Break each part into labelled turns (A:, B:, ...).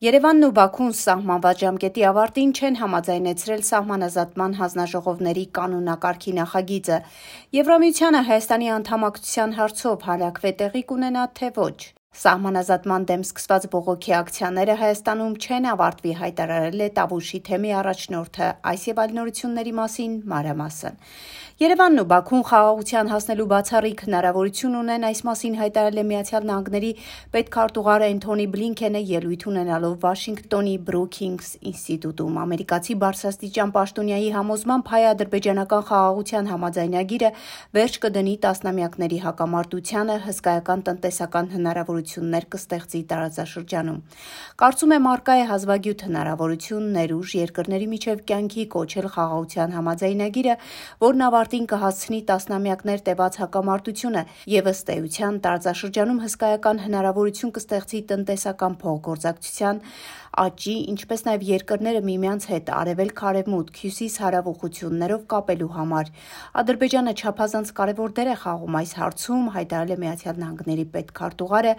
A: Երևանն ու Բաքուն սահմանված ժամկետի ավարտին չեն համաձայնեցրել սահմանազատման հանձնաժողովների կանոնակարգի նախագիծը։ Եվրամիությանը Հայաստանի անդամակցության հարցով հարակվե տեղի կունենա, թե ոչ։ Սահմանազատման դեմ սկսված բողոքի ակցիաները Հայաստանում չեն ավարտվի, հայտարարել է Տավուշի թեմի առաջնորդը։ Այս եւ այլ նորությունների մասին մանրամասն։ Երևանն ու Բաքուն խաղաղության հասնելու բացառիկ հնարավորություն ունեն, այս մասին հայտարարել է Միացյալ Նահանգների պետքարտուղար Էնթոնի Բլինքենը ելույթ ունենալով Վաշինգտոնի Բրուքինգս ինստիտուտում։ Ամերիկացի բարձրաստիճան պաշտոնյայի համոզմամբ հայ-ադրբեջանական խաղաղության համաձայնագիրը վերջ կդնի տասնամյակների հակամարտությանը, հսկայական տնտեսական հնարավորություններ կստեղծի տարածաշրջանում։ Կարծում եմ առկա է հազվագյուտ հնարավորություն ներուժ երկրների միջև կյանքի կոչել խաղաղության համաձայնագիրը, որն ավարտին կհասցնի տասնամյակներ տևած հակամարտությունը եւ ըստ էության տարածաշրջանում հսկայական հնարավորություն կստեղծի տնտեսական փոխգործակցության աճի, ինչպես նաեւ երկրները միմյանց հետ արևելք-արևմուտք, հյուսիս-հարավ ուղղություններով կապելու համար։ Ադրբեջանը չափազանց կարևոր դեր է խաղում այս հարցում, հայտարարել է Միացյալ Նահանգների պետքարտուղարը,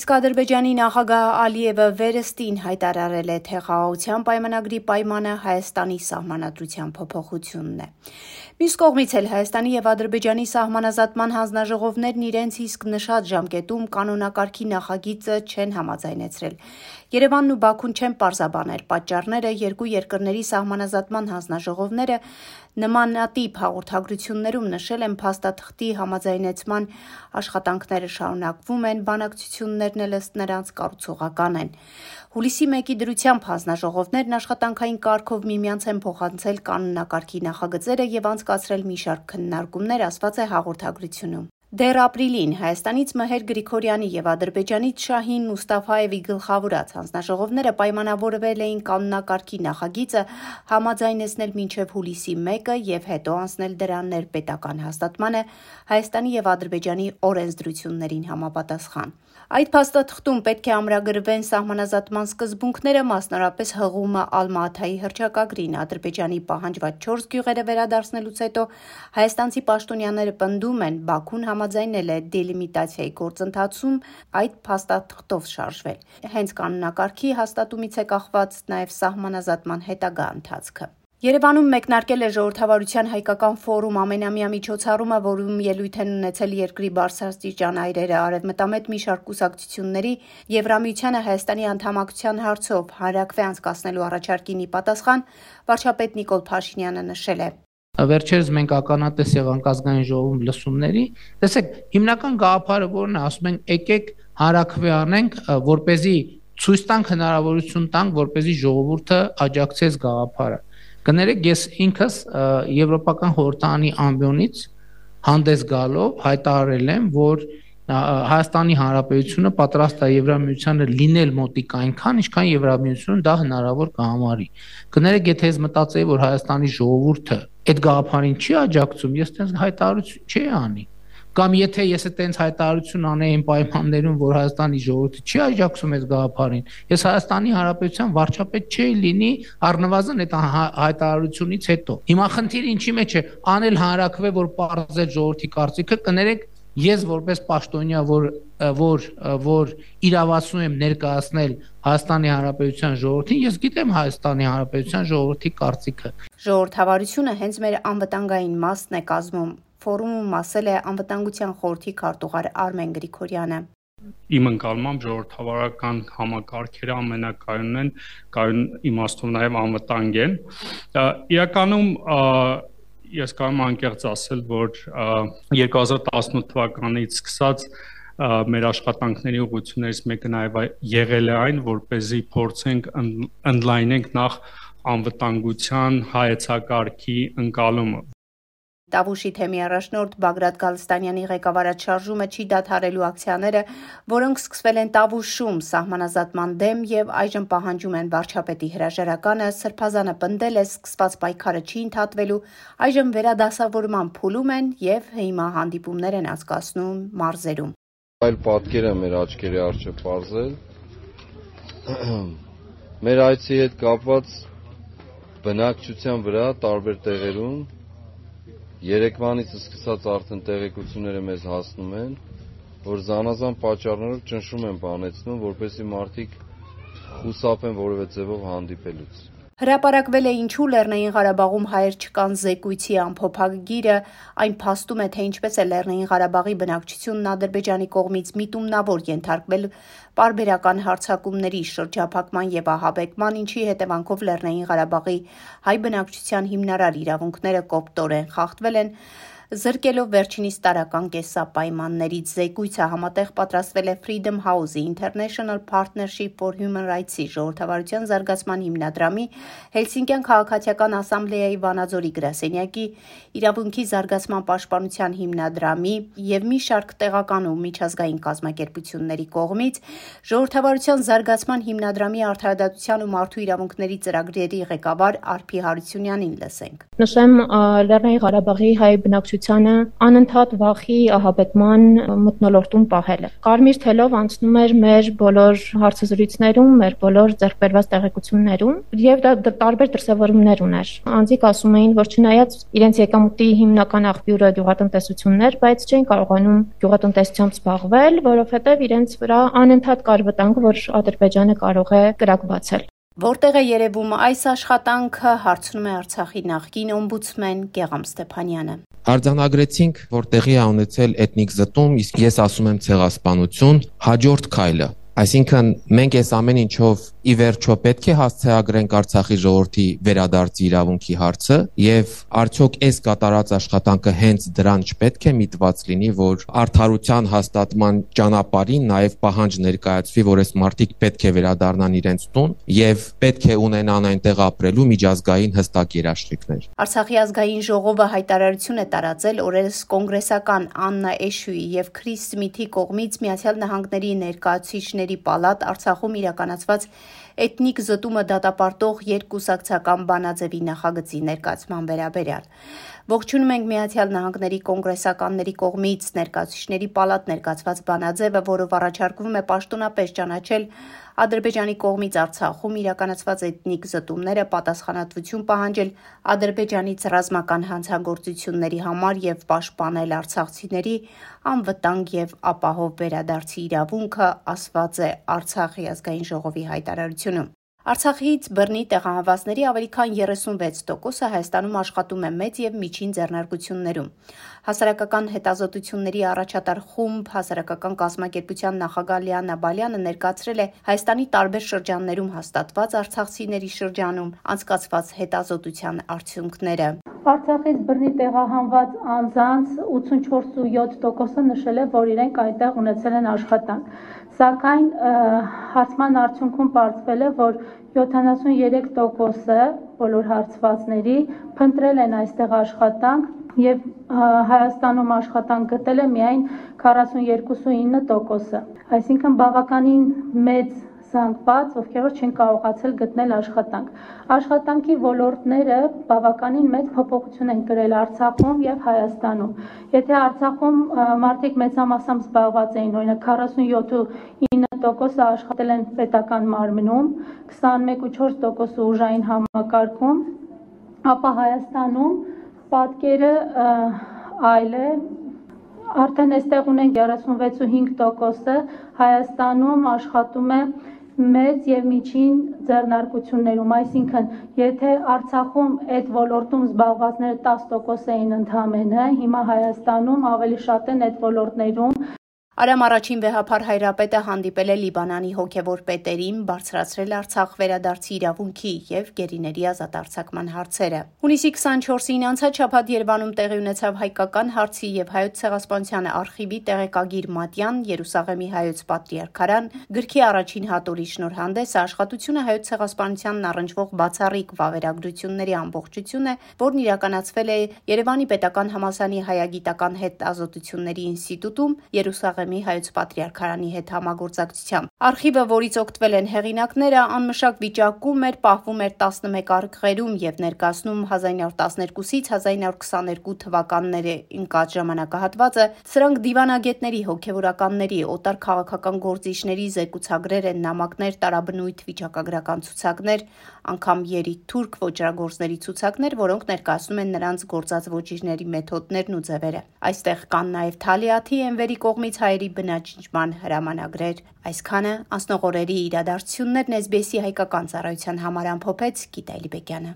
A: իսկ Ադրբեջանի նախագահ Ալիևը վերստին հայտարարել է, թե խաղաղության պայմանագրի պայմանը Հայաստանի սահմանադրության փոփոխությունն է։ Մյուս կողմից էլ Հայաստանի եւ Ադրբեջանի սահմանազատման հանձնաժողովներն իրենց իսկ նշած ժամկետում կանոնակարգի նախագիծը չեն համաձայնեցրել։ Երևանն ու Բաքուն չեն պարզաբանել պատճառները, երկու երկրների սահմանազատման հանձնաժողովները նմանատիպ հաղորդագրություններում նշել են փաստաթղթի համաձայնեցման աշխատանքները շարունակվում են, բանակցություններն էլ ըստ նրանց կառուցողական են։ Հուլիսի 1-ի դրությամբ հանձնաժողովներն աշխատանքային կարգով միմյանց են փոխանցել կանոնակարգի նախագծերը եւ անցկացրել մի շարք քննարկումներ, ասված է հաղորդագրությունում։ Դեռ ապրիլին Հայաստանից Մհեր Գրիգորյանի եւ Ադրբեջանից Շահին Մուստաֆաևի գլխավորած հանձնաժողովները պայմանավորվել էին կանոնակարգի նախագիծը համաձայնեցնել մինչև հուլիսի 1-ը եւ հետո անցնել դրա ներպետական հաստատմանը Հայաստանի եւ Ադրբեջանի օրենսդրություններին համապատասխան։ Այդ փաստաթղթում պետք է ամրագրվեն սահմանազատման սկզբունքները, մասնավորապես հղումը Ալմա-Աթայի հռչակագրին։ Ադրբեջանի պահանջված 4 գյուղերը վերադարձնելուց հետո հայաստանցի պաշտոնյաները պնդում են, Բաքուն համաձայնել է դելիմիտացիայի գործընթացում այդ փաստաթղթով շարժվել։ Հենց կանոնակարգի հաստատումից է կախված նաև սահմանազատման հետագա ընթացքը։ Երևանում մեկնարկել է ժողովրդավարության հայկական ֆորում ամենամյա միջոցառումը, որում ելույթ են ունեցել երկրի բարձրաստիճան այրերը, արևմտամետ մի շարք կուսակցությունների, Եվրամիությանը Հայաստանի անդամակցության հարցով հանրաքվե անցկացնելու առաջարկին ի պատասխան վարչապետ Նիկոլ Փաշինյանը նշել է.
B: Վերջերս մենք ականատես եղանք ազգային ժողովում լսումների, տեսեք, հիմնական գաղափարը որն է, ասում են եկեք հանրաքվե անենք, որպեսզի ցույց տանք հնարավորություն տանք, որպեսզի ժողովուրդը աջակցի գաղափարը։ Կներեք, ես ինքս Եվրոպական խորհրդարանի ամբիոնից հանդես գալով հայտարարել եմ, որ Հայաստանի Հանրապետությունը պատրաստ է Եվրամիությանը լինել մոտիկ այնքան, ինչքան Եվրամիությունը դա հնարավոր կհամարի։ Կներեք, եթե ես մտածեի, որ Հայաստանի ժողովուրդը այդ գաղափարին չի աջակցում, ես այդպես հայտարարություն չի անի։ Կամ եթե ես այդպես հայտարարություն անեի այն պայմաններում, որ Հայաստանի ժողովուրդը չի աջակցում այս գաղափարին, ես Հայաստանի Հանրապետության վարչապետ չէի լինի առնվազն այդ հայտարարությունից հետո։ Հիմա խնդիրը ինչի մեջ է, անել հանրաքվե, որ պարզել ժողովրդի կարծիքը, կներեք, ես որպես պաշտոնյա, որ իրավացնում եմ ներկայացնել Հայաստանի Հանրապետության ժողովրդին, ես գիտեմ Հայաստանի Հանրապետության ժողովրդի կարծիքը։
A: Ժողովրդավարությունը հենց մեր անվտանգային մասն է կազմում, ֆորումում ասել է անվտանգության խորհրդի քարտուղար Արմեն Գրիգորյանը։
C: Իմ ընկալմամբ ժողովրդավարական համակարգերը ամենակայունն են, կայուն իմաստով նաև անվտանգ են։ Իրականում ես կարող եմ անկեղծ ասել, որ 2018 թվականից սկսած մեր աշխատանքների ուղղություններից մեկը նաև եղել է այն, որպեսզի փորձենք ընդլայնենք նախ անվտանգության հայեցակարգի ընկալումը։
A: Տավուշի թեմի առաջնորդ Բագրատ Գալստանյանի ղեկավարած շարժումը չի դադարելու ակցիաները, որոնք սկսվել են Տավուշում սահմանազատման դեմ եւ այժմ պահանջում են վարչապետի հրաժարականը, Սրբազանը պնդել է սկսված պայքարը չի ընդհատվելու, այժմ վերադասավորման փուլում են եւ հիմա հանդիպումներ են անցկացնում մարզերում։
D: Այլ պատկեր է մեր աչքերի առջև պարզել։ Մեր այցի հետ կապված բնակչության վրա տարբեր տեղերում Երեկվանից սկսած արդեն տեղեկությունները մեզ հասնում են, որ զանազան պատճառներով ճնշում են բանեցնում, որպեսզի մարդիկ խուսափեն որևէ ձևով հանդիպելուց։
A: Հրապարակվել է ինչու Լեռնային Ղարաբաղում հայեր չկան զեկույցի ամփոփագիրը, այն փաստում է, թե ինչպես է Լեռնային Ղարաբաղի բնակչությունն Ադրբեջանի կողմից միտումնավոր ենթարկվել պարբերական հարձակումների, շրջափակման եւ ահաբեկման, ինչի հետևանքով Լեռնային Ղարաբաղի հայ բնակչության հիմնարար իրավունքները կոպտորեն խախտվել են, զրկելով վերջինիս տարական կեսապայմաններից։ Զեկույցը համատեղ պատրաստվել է Freedom House-ի International Partnership for Human Rights-ի ժողովրդավարության զարգացման հիմնադրամի, Հելսինկյան քաղաքացիական ասամբլեայի Վանաձորի գրասենյակի, իրավունքի զարգացման պաշտպանության հիմնադրամի եւ մի շարք տեղական ու միջազգային կազմակերպությունների կողմից։ Ժողովրդավարության զարգացման հիմնադրամի արդարադատության ու մարդու իրավունքների ծրագրերի ղեկավար Արփի Հարությունյանին լսենք։
E: Նշեմ Լեռնային Ղարաբաղի հայ բնակչությանը անընդհատ վախի ահաբեկման մթնոլորտում պահել է։ Կարմիր թելով անցնում էր մեր բոլոր հարցազրույցներում, մեր բոլոր ձեռքբերված տեղեկություններում եւ դա տարբեր դրսևորումներ ուներ։ Անձիկ ասում էին, որ չնայած իրենց եկամուտի հիմնական աղբյուրը գյուղատնտեսությունն էր, բայց չէին կարողանում գյուղատնտեսությամբ զբաղվել, որովհետեւ իրենց վրա անընդհատ կար վտանգ, որ Ադրբեջանը կարող է կրակ բացել։
A: Որտեղ է երևում այս աշխատանքը, հարցնում է Արցախի նախկին օմբուդսմեն Գեղամ Ստեփանյանը։
F: Արձանագրեցինք, որ տեղի է ունեցել էթնիկ զտում, իսկ ես ասում եմ ցեղասպանություն, հաջորդ քայլը։ Այսինքն մենք այս ամեն ինչով ի վերջո պետք է հասցեագրենք Արցախի ժողովրդի վերադարձի իրավունքի հարցը եւ արդյոք այս կատարած աշխատանքը հենց դրան չպետք է միտված լինի, որ արդարության հաստատման ճանապարհին նաեւ պահանջ ներկայացվի, որ այս մարդիկ պետք է վերադառնան իրենց տուն եւ պետք է ունենան այնտեղ ապրելու միջազգային հստակ երաշխիքներ։
A: Արցախի ազգային ժողովը հայտարարություն է տարածել օրերս կոնգրեսական Աննա Էշուի եւ Քրիս Սմիթի կողմից Միացյալ Նահանգների ներկայացուցիչների պալատ Արցախում իրականացված էթնիկ զտումը դատապարտող երկկուսակցական բանաձևի նախագծի ներկայացման վերաբերյալ։ Ողջունում ենք Միացյալ Նահանգների կոնգրեսականների կողմից ներկայացուցիչների պալատ ներկայացված բանաձևը, որով առաջարկվում է պաշտոնապես ճանաչել Ադրբեջանի կողմից Արցախում իրականացված էթնիկ զտումները, պատասխանատվություն պահանջել Ադրբեջանից ռազմական հանցագործությունների համար եւ պաշտպանել արցախցիների անվտանգ եւ ապահով վերադարձի իրավունքը, ասված է Արցախի ազգային ժողովի հայտարարությունում։ Արցախից բռնի տեղահանվածների ավելի քան 36%-ը Հայաստանում աշխատում է մեծ եւ միջին ձեռնարկություններում։ Հասարակական հետազոտությունների առաջատար խումբ հասարակական կազմակերպության նախագահ Լիանա Բալյանը ներկայացրել է Հայաստանի տարբեր շրջաններում հաստատված արցախցիների շրջանում անցկացված հետազոտության արդյունքները։
G: Արցախից բռնի տեղահանված անձանց 84.7%-ը նշել է, որ իրենք այնտեղ ունեցել են աշխատանք։ Սակայն հարցման արդյունքում պարզվել է, որ 73%-ը բոլոր հարցվածների փնտրել են այստեղ աշխատանք եւ Հայաստանում աշխատանք գտել է միայն 42.9%-ը։ Այսինքն բավականին մեծ զանգված, ովքեր որ չեն կարողացել գտնել աշխատանք։ Աշխատանքի ոլորտները բավականին մեծ փոփոխություն են կրել Արցախում եւ Հայաստանում։ Եթե Արցախում մարդիկ մեծամասամբ զբաղված էին, օրինակ 47.9%-ը աշխատել են պետական մարմնում, 21.4%-ը ուժային համակարգում, ապա Հայաստանում պատկերը այլ է։ Արդեն այստեղ ունենք 36.5%-ը Հայաստանում աշխատում է մեծ եւ միջին ձեռնարկություններում, այսինքն եթե Արցախում այդ ոլորտում զբաղվածները 10% էին ընդամենը, հիմա Հայաստանում ավելի շատ են այդ ոլորտներում։
A: Արամ առաջին վեհափար Հայրապետը հանդիպել է Լիբանանի հոգևոր պետերին, բարձրացրել Արցախ վերադարձի իրավունքի եւ գերիների ազատ արձակման հարցերը։ Հունիսի 24-ին անցած շաբաթ Երևանում տեղի ունեցավ հայկական հարցի եւ հայոց ցեղասպանության արխիվի տեղեկագիր Մատյան Երուսաղեմի հայոց պատրիարքարան գրքի առաջին հատորի շնորհանդեսը աշխատությունը հայոց ցեղասպանությանն առնչվող բացառիկ վավերագրությունների ամբողջություն է, որն իրականացվել է Երևանի պետական համալսարանի հայագիտական հետազոտությունների ինստիտուտում Երուսաղեմի հայոց պատրիարքարանի հետ համագործակցությամբ։ Արխիվը, որից օգտվել են հեղինակները, անմշակ վիճակում էր, պահվում էր 11 արխիվերում եւ ներկայացնում 1912-ից 1922 թվականների ընկած ժամանակահատվածը։ Սրանք դիվանագետների, հոգեվորականների, օտար քաղաքական գործիչների զեկուցագրեր են, նամակներ, տարաբնույթ վիճակագրական ցուցակներ, անգամ երիթ-թուրք ոճրագործների ցուցակներ, որոնք ներկայացնում են նրանց գործած ոճիրների մեթոդներն ու ձևերը։ Այստեղ կան նաեւ Թալիաթի Էնվերի կողմից հայերի խնդիրների բնաջնջման հրամանագրեր։ Այսքանը անցնող օրերի իրադարձություններն SBS-ի հայկական ծառայության համար ամփոփեց Գիտա Էլիբեկյանը։